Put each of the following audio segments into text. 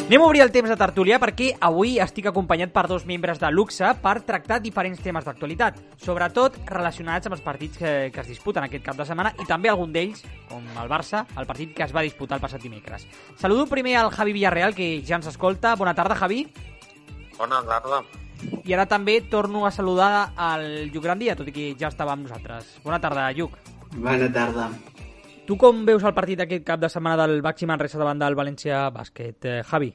Anem a obrir el temps de tertúlia perquè avui estic acompanyat per dos membres de luxe per tractar diferents temes d'actualitat, sobretot relacionats amb els partits que es disputen aquest cap de setmana i també algun d'ells, com el Barça, el partit que es va disputar el passat dimecres. Saludo primer al Javi Villarreal, que ja ens escolta. Bona tarda, Javi. Bona tarda. I ara també torno a saludar al Lluc Grandia, tot i que ja estava amb nosaltres. Bona tarda, Lluc. Bona tarda. Tu com veus el partit aquest cap de setmana del Baxi Manresa davant del València Bàsquet, Javi?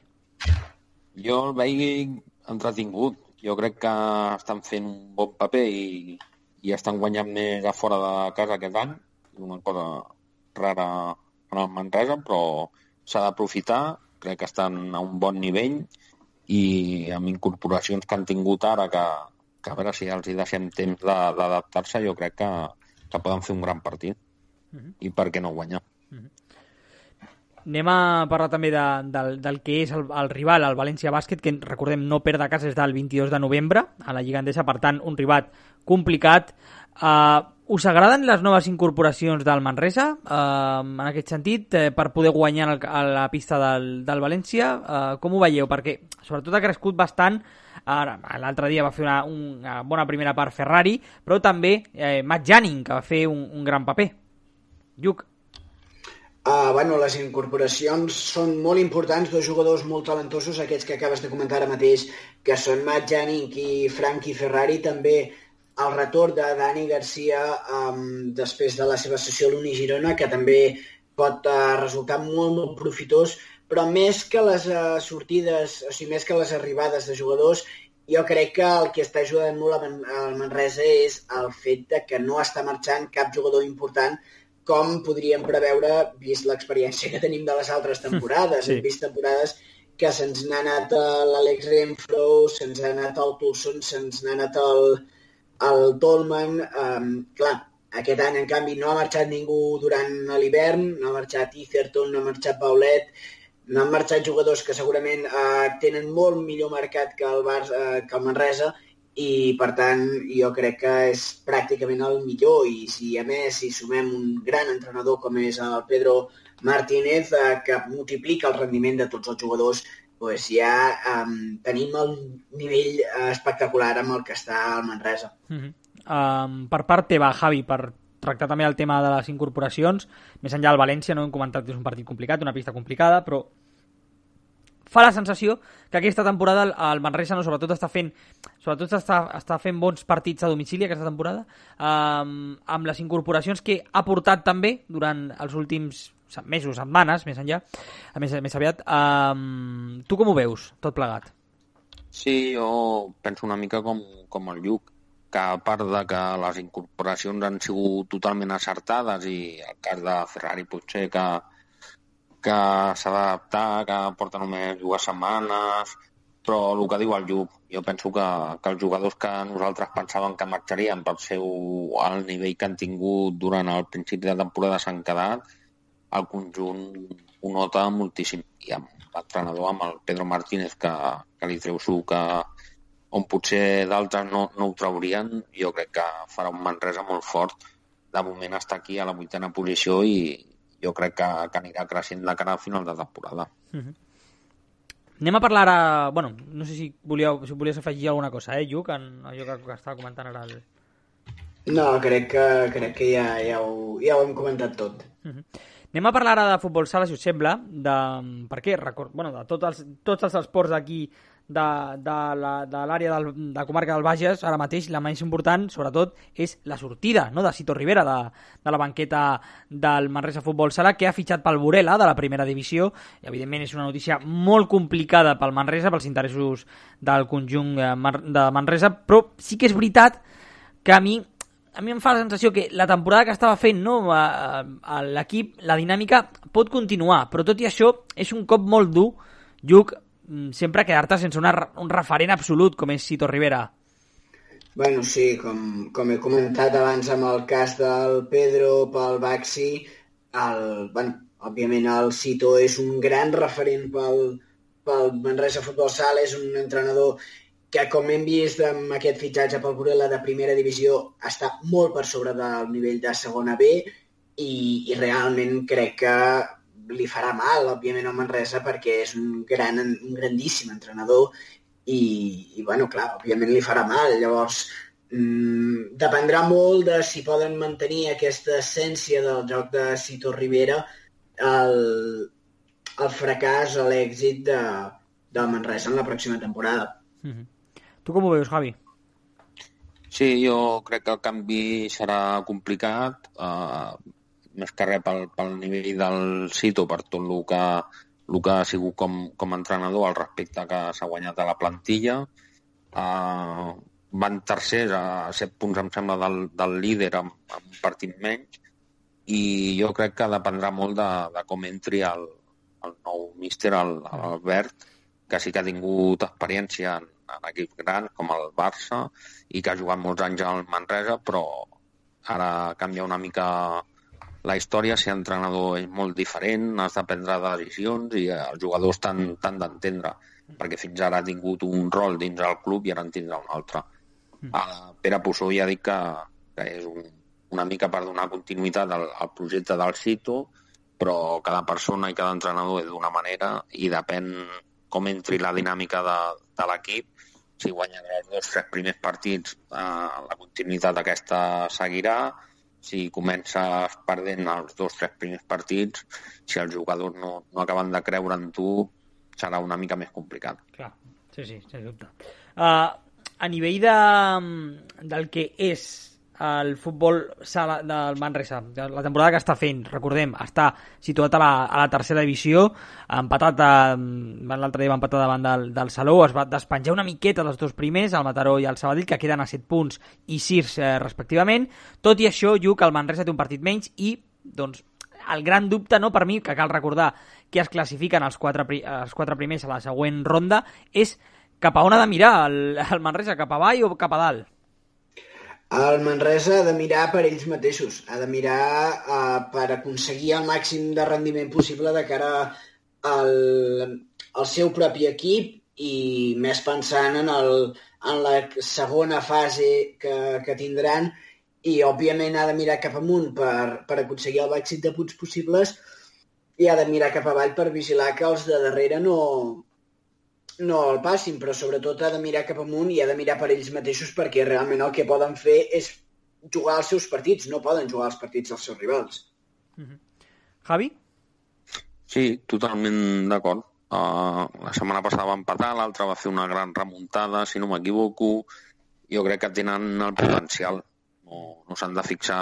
Jo el veig entretingut. Jo crec que estan fent un bon paper i estan guanyant més a fora de casa aquest any. Una cosa rara en el Manresa, però s'ha d'aprofitar. Crec que estan a un bon nivell i amb incorporacions que han tingut ara, que a veure si els hi deixem temps d'adaptar-se, jo crec que poden fer un gran partit. I per què no guanyar? Anem a parlar també del que és el rival, el València Bàsquet, que recordem no perd de casa des del 22 de novembre a la Lliga Endesa, per tant un rival complicat. Us agraden les noves incorporacions del Manresa en aquest sentit, per poder guanyar a la pista del València? Com ho veieu? Perquè sobretot ha crescut bastant. L'altre dia va fer una bona primera part Ferrari, però també Matt Janning, que va fer un gran paper. Lluc. Les incorporacions són molt importants, dos jugadors molt talentosos, aquests que acabes de comentar ara mateix, que són Matt Janning i Frankie Ferrari. També el retorn de Dani Garcia després de la seva sessió a l'Uni Girona, que també pot resultar molt, molt profitós, però més que les sortides, o sigui, més que les arribades de jugadors, jo crec que el que està ajudant molt al Manresa és el fet de que no està marxant cap jugador important, com podríem preveure, vist l'experiència que tenim de les altres temporades. Sí. Hem vist temporades que se'ns n'ha anat l'Alex Renfro, se'ns ha anat el Toulson, se'ns n'ha anat el Tolman. Clar, aquest any, en canvi, no ha marxat ningú durant l'hivern, no ha marxat Etherton, no ha marxat Paulet, no han marxat jugadors que segurament tenen molt millor mercat que el Manresa, i per tant jo crec que és pràcticament el millor. I si a més hi sumem un gran entrenador com és el Pedro Martínez, que multiplica el rendiment de tots els jugadors, doncs ja tenim el nivell espectacular amb el que està el Manresa. Per part teva, Javi, per tractar també el tema de les incorporacions, més enllà del València, no hem comentat que és un partit complicat, una pista complicada, però fa la sensació que aquesta temporada el Manresa sobretot està fent bons partits a domicili aquesta temporada, amb les incorporacions que ha portat també durant els últims mesos, setmanes, més enllà, més aviat. Tu com ho veus, tot plegat? Sí, jo penso una mica com el Lluc, que a part de que les incorporacions han sigut totalment acertades, i el cas de Ferrari potser que s'ha d'adaptar, que porta només 2 setmanes, però el que diu el Lluc, jo penso que els jugadors que nosaltres pensàvem que marxarien pel el nivell que han tingut durant el principi de temporada s'han quedat, el conjunt ho nota moltíssim. I amb l'entrenador, amb el Pedro Martínez, que li treu suc, on potser d'altres no ho traurien, jo crec que farà un Manresa molt fort. De moment està aquí a la 8a posició i jo crec que anirà creixent de cara al final de temporada. Anem a parlar ara... Bueno, no sé si volies afegir alguna cosa, Lluc, en allò que estava comentant ara. No, crec que ja ho hem comentat tot. Anem a parlar ara de futbol sala, si us sembla, perquè de tots els esports aquí de l'àrea de comarca del Bages, ara mateix la més important, sobretot, és la sortida, no?, de Sito Rivera de la banqueta del Manresa Futbol Sala, que ha fitxat pel Burela de la primera divisió, i evidentment és una notícia molt complicada pel Manresa, pels interessos del conjunt de Manresa, però sí que és veritat que a mi em fa la sensació que la temporada que estava fent, no, l'equip, la dinàmica pot continuar, però tot i això és un cop molt dur, Lluc, sempre quedar-te sense un referent absolut com és Sito Rivera. Bueno, sí, com he comentat abans amb el cas del Pedro pel Baxi, òbviament el Sito és un gran referent pel Manresa Futbol Sala, és un entrenador que, com hem vist amb aquest fitxatge pel Burela de primera divisió, està molt per sobre del nivell de segona B, i realment crec que li farà mal, òbviament, al Manresa, perquè és un grandíssim entrenador i bueno, clar, òbviament li farà mal. Llavors, dependrà molt de si poden mantenir aquesta essència del joc de Sito Rivera, el fracàs o l'èxit del Manresa en la pròxima temporada. Tu com ho veus, Javi? Sí, jo crec que el canvi serà complicat, més que res pel nivell del Sito, per tot el que ha sigut com a entrenador, al respecte que s'ha guanyat a la plantilla. Van tercers a 7 punts, em sembla, del líder amb un partit menys, i jo crec que dependrà molt de com entri el nou míster, l'Albert, que sí que ha tingut experiència en equips grans com el Barça i que ha jugat molts anys al Manresa, però ara canvia una mica la història. Si l'entrenador és molt diferent, has de prendre decisions i els jugadors t'han d'entendre, perquè fins ara ha tingut un rol dins el club i ara en tindrà un altre. Pere Puçó ja ha dit que és una mica per donar continuïtat al projecte del Sito, però cada persona i cada entrenador és d'una manera i depèn com entri la dinàmica de l'equip. Si guanyen els 2-3 primers partits, la continuïtat aquesta seguirà. Si comences perdent els 2-3 primers partits, si els jugadors no acaben de creure en tu, serà una mica més complicat. Clar, sí, sens dubte. A nivell del que és el futbol sala del Manresa, la temporada que està fent, recordem, està situat a la tercera divisió, empatat l'altre dia va empatar davant del Salou, es va despenjar una miqueta dels dos primers, el Mataró i el Sabadell, que queden a 7 punts i 6 respectivament. Tot i això, Lluc, el Manresa té un partit menys i, doncs, el gran dubte, no, per mi, que cal recordar que es classifiquen els quatre primers a la següent ronda, és cap a on ha de mirar el Manresa, cap avall o cap a dalt? El Manresa ha de mirar per ells mateixos, ha de mirar per aconseguir el màxim de rendiment possible de cara al seu propi equip i més pensant en la segona fase que tindran, i òbviament ha de mirar cap amunt per aconseguir el màxim de punts possibles i ha de mirar cap avall per vigilar que els de darrere no el passin, però sobretot ha de mirar cap amunt i ha de mirar per ells mateixos, perquè realment el que poden fer és jugar els seus partits, no poden jugar els partits dels seus rivals. Javi? Sí, totalment d'acord. La setmana passada va empatar, l'altra va fer una gran remuntada, si no m'equivoco. Jo crec que tenen el potencial. No s'han de fixar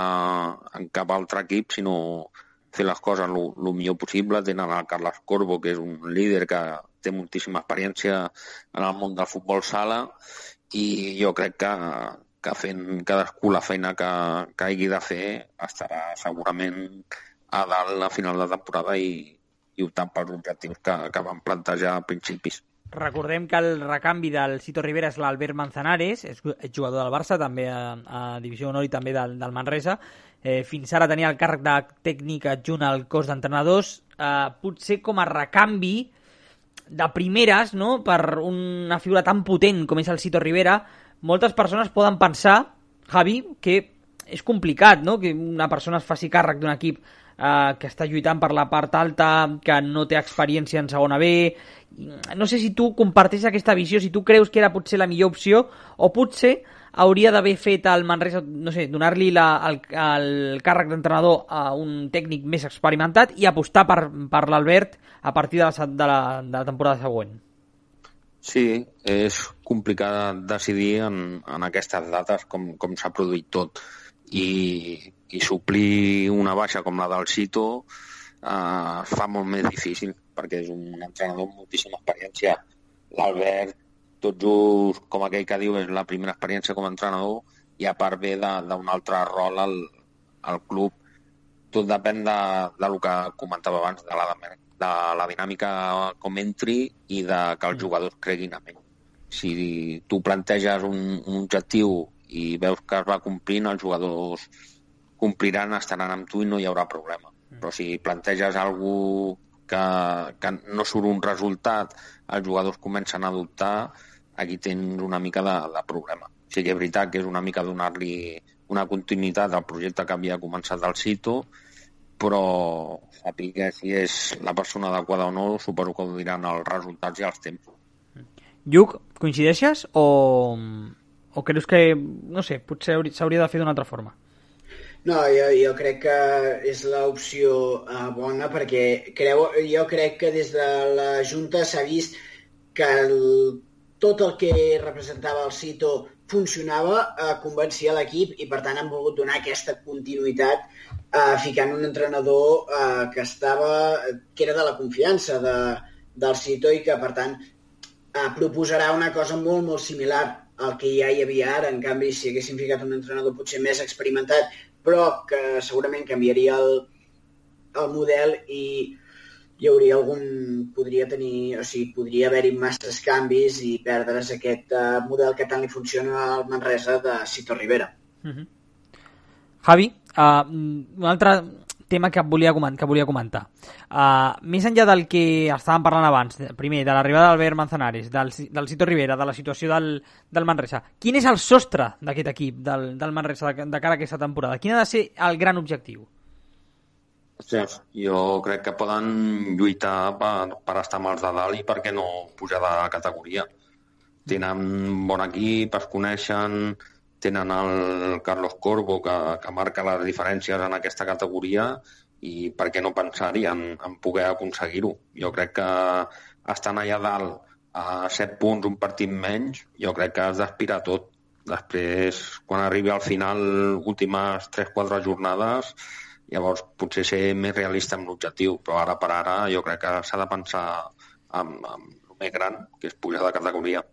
en cap altre equip, sinó fer les coses el millor possible. Tenen el Carles Corbo, que és un líder que té moltíssima experiència en el món del futbol sala, i jo crec que fent cadascú la feina que hagi de fer estarà segurament a dalt a final de temporada i optant pels objectius que van plantejar a principis. Recordem que el recanvi del Sito Rivera és l'Albert Manzanares, és jugador del Barça, també a Divisió Honor i també del Manresa. Fins ara tenia el càrrec de tècnic adjunt al cos d'entrenadors. Potser com a recanvi de primeres, no?, per una figura tan potent com és el Sito Rivera, moltes persones poden pensar, Javi, que és complicat, no?, que una persona es faci càrrec d'un equip que està lluitant per la part alta, que no té experiència en segona B. No sé si tu comparteixes aquesta visió, si tu creus que era potser la millor opció, o potser hauria d'haver fet el Manresa, no sé, donar-li el càrrec d'entrenador a un tècnic més experimentat i apostar per l'Albert a partir de la temporada següent. Sí, és complicat decidir en aquestes dates com s'ha produït tot, i suplir una baixa com la del Sito es fa molt més difícil, perquè és un entrenador amb moltíssima experiència. L'Albert, tot just com aquell que diu, és la primera experiència com a entrenador, i a part ve d'un altre rol al club. Tot depèn del que comentava abans, de la dinàmica com entri i de que els jugadors creguin en ell. Si tu planteges un objectiu i veus que es va complint, els jugadors compliran, estaran amb tu i no hi haurà problema. Però si planteges alguna cosa que no surt un resultat, els jugadors comencen a dubtar, aquí tens una mica de problema. Sí que és veritat que és una mica donar-li una continuïtat al projecte que havia començat del Sito, però sàpiga si és la persona adequada o no, suposo que ho diran els resultats i els temps. Lluc, coincideixes o creus que, no sé, potser s'hauria de fer d'una altra forma? No, jo crec que és l'opció bona perquè jo crec que des de la Junta s'ha vist que tot el que representava el Cito funcionava, convencia l'equip i per tant han volgut donar aquesta continuïtat ficant un entrenador que era de la confiança del Cito i que per tant proposarà una cosa molt, molt similar al que ja hi havia ara. En canvi, si haguessin ficat un entrenador potser més experimentat, però que segurament canviaria el model i hi hauria podria haver-hi masses canvis i perdre's aquest model que tant li funciona al Manresa de Cito Rivera. Javi, un altre tema que volia comentar. Més enllà del que estàvem parlant abans, primer, de l'arribada d'Albert Manzanares, del Cito Rivera, de la situació del Manresa, quin és el sostre d'aquest equip, del Manresa, de cara a aquesta temporada? Quin ha de ser el gran objectiu? Jo crec que poden lluitar per estar amb els de dalt i per què no pujar de categoria. Tenen bon equip, es coneixen, tenen el Carlos Corbo que marca les diferències en aquesta categoria i per què no pensar-hi en poder aconseguir-ho. Jo crec que estan allà dalt a 7 punts, un partit menys, jo crec que has d'aspirar tot. Després, quan arribi al final, últimes 3-4 jornades, llavors potser ser més realista amb l'objectiu, però ara per ara jo crec que s'ha de pensar en el més gran, que és pujar de categoria.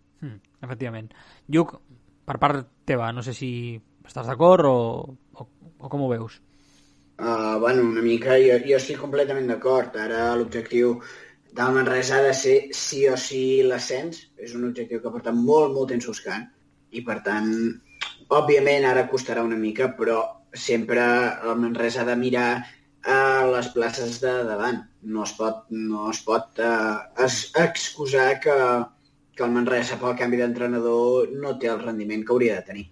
Efectivament. Lluc, per part teva, no sé si estàs d'acord o com ho veus? Bueno, una mica, jo estic completament d'acord. Ara l'objectiu del Manresa ha de ser sí o sí l'ascens. És un objectiu que porta molt, molt temps buscant i per tant, òbviament ara costarà una mica, però sempre el Manresa ha de mirar a les places de davant. No es pot excusar que el Manresa pel canvi d'entrenador no té el rendiment que hauria de tenir.